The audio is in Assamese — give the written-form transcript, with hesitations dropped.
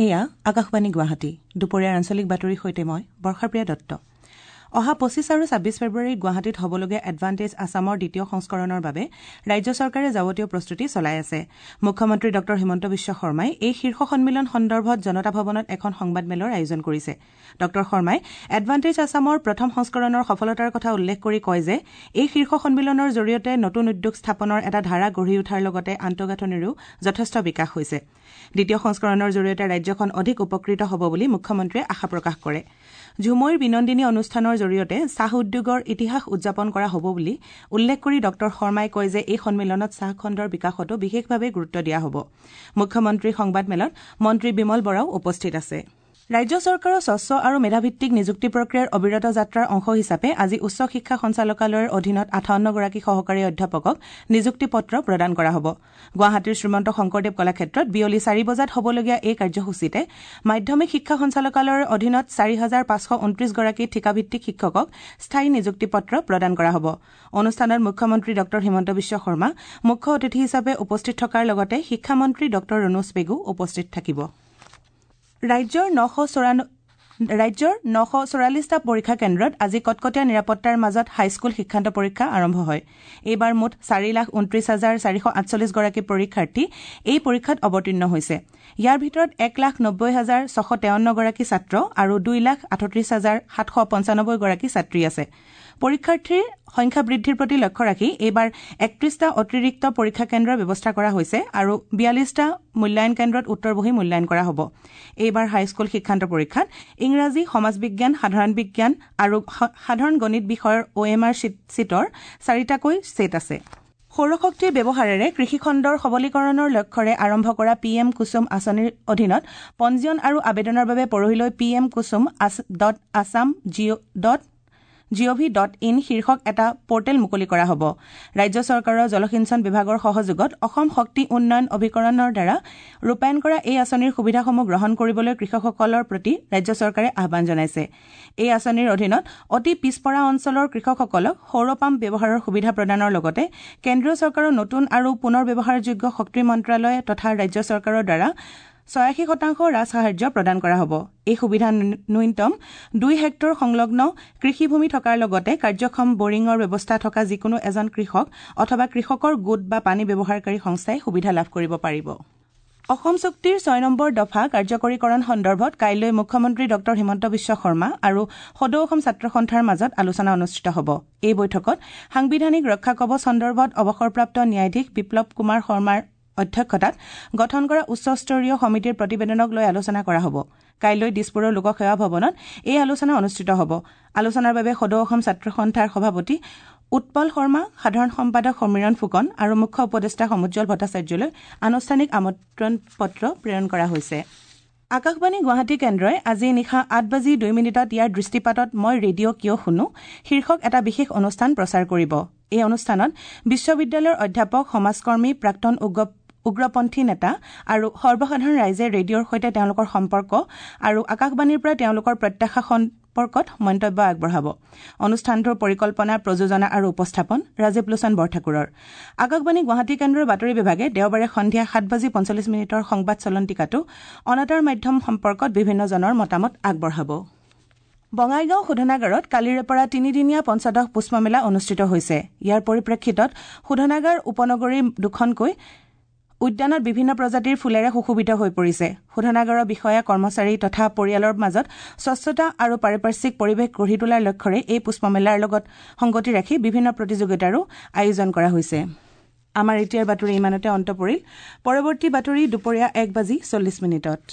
এয়া আকাশবাণী গুৱাহাটী। দুপৰীয়াৰ আঞ্চলিক বাতৰিৰ সৈতে মই বৰ্ষাপ্ৰিয়া দত্ত। অহা 25 আৰু 26 ফেব্ৰুৱাৰীত গুৱাহাটীত হ'বলগীয়া এডভান্টেজ আছামৰ দ্বিতীয় সংস্কৰণৰ বাবে ৰাজ্য চৰকাৰে যাৱতীয় প্ৰস্তুতি চলাই আছে। মুখ্যমন্ত্ৰী ডঃ হিমন্ত বিশ্ব শৰ্মাই এই শীৰ্ষ সন্মিলন সন্দৰ্ভত জনতা ভৱনত এখন সংবাদমেলৰ আয়োজন কৰিছে। ডঃ শৰ্মাই এডভান্টেজ আছামৰ প্ৰথম সংস্কৰণৰ সফলতাৰ কথা উল্লেখ কৰি কয় যে এই শীৰ্ষ সন্মিলনৰ জৰিয়তে নতুন উদ্যোগ স্থাপনৰ এটা ধাৰা গঢ়ি উঠাৰ লগতে আন্তঃগাঁথনিৰো যথেষ্ট বিকাশ হৈছে। দ্বিতীয় সংস্কৰণৰ জৰিয়তে ৰাজ্যখন অধিক উপকৃত হ'ব বুলি মুখ্যমন্ত্ৰীয়ে আশা প্ৰকাশ কৰে। ঝুমইৰ বিনন্দিনী অনুষ্ঠানৰ জৰিয়তে চাহ উদ্যোগৰ ইতিহাস উদযাপন কৰা হ'ব বুলি উল্লেখ কৰি ডঃ শৰ্মাই কয় যে এই সন্মিলনত চাহ খণ্ডৰ বিকাশতো বিশেষভাৱে গুৰুত্ব দিয়া হ'ব। মুখ্যমন্ত্ৰীৰ সংবাদমেলত মন্ত্ৰী বিমল বৰাও উপস্থিত আছে। ৰাজ্য চৰকাৰৰ স্বচ্ছ আৰু মেধাভিত্তিক নিযুক্তি প্ৰক্ৰিয়াৰ অবিৰত যাত্ৰাৰ অংশ হিচাপে আজি উচ্চ শিক্ষা সঞ্চালকালয়ৰ অধীনত 58গৰাকী সহকাৰী অধ্যাপকক নিযুক্তি পত্ৰ প্ৰদান কৰা হ'ব। গুৱাহাটীৰ শ্ৰীমন্ত শংকৰদেৱ কলাক্ষেত্ৰত বিয়লি 4 বজাত হ'বলগীয়া এই কাৰ্যসূচীতে মাধ্যমিক শিক্ষা সঞ্চালকালয়ৰ অধীনত 4529গৰাকী ঠিকাভিত্তিক শিক্ষকক স্থায়ী নিযুক্তি পত্ৰ প্ৰদান কৰা হ'ব। অনুষ্ঠানত মুখ্যমন্ত্ৰী ডঃ হিমন্ত বিশ্ব শৰ্মা মুখ্য অতিথি হিচাপে উপস্থিত থকাৰ লগতে শিক্ষামন্ত্ৰী ডঃ ৰণোজ পেগু উপস্থিত থাকিব। ৰাজ্যৰ 944টা পৰীক্ষা কেন্দ্ৰত আজি কটকটীয়া নিৰাপত্তাৰ মাজত হাইস্কুল শিক্ষান্ত পৰীক্ষা আৰম্ভ হয়। এইবাৰ মুঠ 4,29,448 গৰাকী পৰীক্ষাৰ্থী এই পৰীক্ষাত অৱতীৰ্ণ হৈছে। ইয়াৰ ভিতৰত 1,90,653 গৰাকী ছাত্ৰ আৰু 2,38,795 গৰাকী ছাত্ৰী আছে। পৰীক্ষাৰ্থীৰ সংখ্যা বৃদ্ধিৰ প্ৰতি লক্ষ্য ৰাখি এইবাৰ 31টা অতিৰিক্ত পৰীক্ষা কেন্দ্ৰৰ ব্যৱস্থা কৰা হৈছে আৰু 42টা মূল্যায়ন কেন্দ্ৰত উত্তৰ বহী মূল্যায়ন কৰা হ'ব। এইবাৰ হাইস্কুল শিক্ষান্ত পৰীক্ষাত ইংৰাজী, সমাজ বিজ্ঞান, সাধাৰণ বিজ্ঞান আৰু সাধাৰণ গণিত বিষয়ৰ OMR শ্বীটৰ 4টাকৈ ছেট আছে। সৌৰশক্তিৰ ব্যৱহাৰেৰে কৃষিখণ্ডৰ সবলীকৰণৰ লক্ষ্যৰে আৰম্ভ কৰা পি এম কুসুম আঁচনিৰ অধীনত পঞ্জীয়ন আৰু আবেদনৰ বাবে পৰহিলৈ P M Kusum dot Assam dot gov dot in শীৰ্ষক এটা পৰ্টেল মুকলি কৰা হ'ব। ৰাজ্য চৰকাৰৰ জলসিঞ্চন বিভাগৰ সহযোগত অসম শক্তি উন্নয়ন অভিকৰণৰ দ্বাৰা ৰূপায়ণ কৰা এই আঁচনিৰ সুবিধাসমূহ গ্ৰহণ কৰিবলৈ কৃষকসকলৰ প্ৰতি ৰাজ্য চৰকাৰে আহ্বান জনাইছে। এই আঁচনিৰ অধীনত অতি পিছপৰা অঞ্চলৰ কৃষকসকলক সৌৰ পাম্প ব্যৱহাৰৰ সুবিধা প্ৰদানৰ লগতে কেন্দ্ৰীয় চৰকাৰৰ নতুন আৰু পুনৰ ব্যৱহাৰযোগ্য শক্তি মন্ত্ৰালয় তথা ৰাজ্য চৰকাৰৰ দ্বাৰা 86% ৰাজসাহায্য প্ৰদান কৰা হ'ব। এই সুবিধা ন্যূনতম 2 হেক্টৰ সংলগ্ন কৃষিভূমি থকাৰ লগতে কাৰ্যক্ষম বৰিঙৰ ব্যৱস্থা থকা যিকোনো এজন কৃষক অথবা কৃষকৰ গোট বা পানী ব্যৱহাৰকাৰী সংস্থাই সুবিধা লাভ কৰিব পাৰিব। অসম চুক্তিৰ 6 নম্বৰ দফা কাৰ্যকৰীকৰণ সন্দৰ্ভত কাইলৈ মুখ্যমন্ত্ৰী ডঃ হিমন্ত বিশ্ব শৰ্মা আৰু সদৌ অসম ছাত্ৰ সন্থাৰ মাজত আলোচনা অনুষ্ঠিত হ'ব। এই বৈঠকত সাংবিধানিক ৰক্ষা কৱচ সন্দৰ্ভত অৱসৰপ্ৰাপ্ত ন্যায়াধীশ বিপ্লৱ কুমাৰ শৰ্মাৰ অধ্যক্ষতাত গঠন কৰা উচ্চস্তৰীয় সমিতিৰ প্ৰতিবেদনক লৈ আলোচনা কৰা হ'ব। কাইলৈ দিছপুৰৰ লোকসেৱা ভৱনত এই আলোচনা অনুষ্ঠিত হ'ব। আলোচনাৰ বাবে সদৌ অসম ছাত্ৰ সন্থাৰ সভাপতি উৎপল শৰ্মা, সাধাৰণ সম্পাদক সমীৰণ ফুকন আৰু মুখ্য উপদেষ্টা সমুজ্জ্বল ভট্টাচাৰ্যলৈ আনুষ্ঠানিক আমন্ত্ৰণ পত্ৰ প্ৰেৰণ কৰা হৈছে। আকাশবাণী গুৱাহাটী কেন্দ্ৰই আজি নিশা 8:02 ইয়াৰ দৃষ্টিপাতত মই ৰেডিঅ' কিয় শুনো শীৰ্ষক এটা বিশেষ অনুষ্ঠান প্ৰচাৰ কৰিব। এই অনুষ্ঠানত বিশ্ববিদ্যালয়ৰ অধ্যাপক, সমাজকৰ্মী, প্ৰাক্তন উগ্ৰপন্থী নেতা আৰু সৰ্বসাধাৰণ ৰাইজে ৰেডিঅ'ৰ সৈতে তেওঁলোকৰ সম্পৰ্ক আৰু আকাশবাণীৰ পৰা তেওঁলোকৰ প্ৰত্যাশা সম্পৰ্কত মন্তব্য আগবঢ়াব। অনুষ্ঠানটোৰ পৰিকল্পনা, প্ৰযোজনা আৰু উপস্থাপন ৰাজীৱ লোচন বৰঠাকুৰৰ। আকাশবাণী গুৱাহাটী কেন্দ্ৰৰ বাতৰি বিভাগে দেওবাৰে সন্ধিয়া 7:45 সংবাদ চলন্তিকাটো অনাতাঁৰ মাধ্যম সম্পৰ্কত বিভিন্নজনৰ মতামত আগবঢ়াব। বঙাইগাঁও শোধনাগাৰত কালিৰে পৰা তিনিদিনীয়া পঞ্চদশ পুষ্পমেলা অনুষ্ঠিত হৈছে। ইয়াৰ পৰিপ্ৰেক্ষিতত শোধনাগাৰ উপনগৰীৰ দুখনকৈ উদ্যানত বিভিন্ন প্ৰজাতিৰ ফুলেৰে সুশোভিত হৈ পৰিছে। শোধনাগাৰৰ বিষয়া, কৰ্মচাৰী তথা পৰিয়ালৰ মাজত স্বচ্ছতা আৰু পাৰিপাৰ্শ্বিক পৰিৱেশ গঢ়ি তোলাৰ লক্ষ্যৰে এই পুষ্পমেলাৰ লগত সংগতি ৰাখি বিভিন্ন প্ৰতিযোগিতাৰো আয়োজন কৰা হৈছে। আমাৰ এতিয়াৰ বাতৰি ইমানতে অন্ত পৰিল। পৰৱৰ্তী বাতৰি দুপৰীয়া 1:40।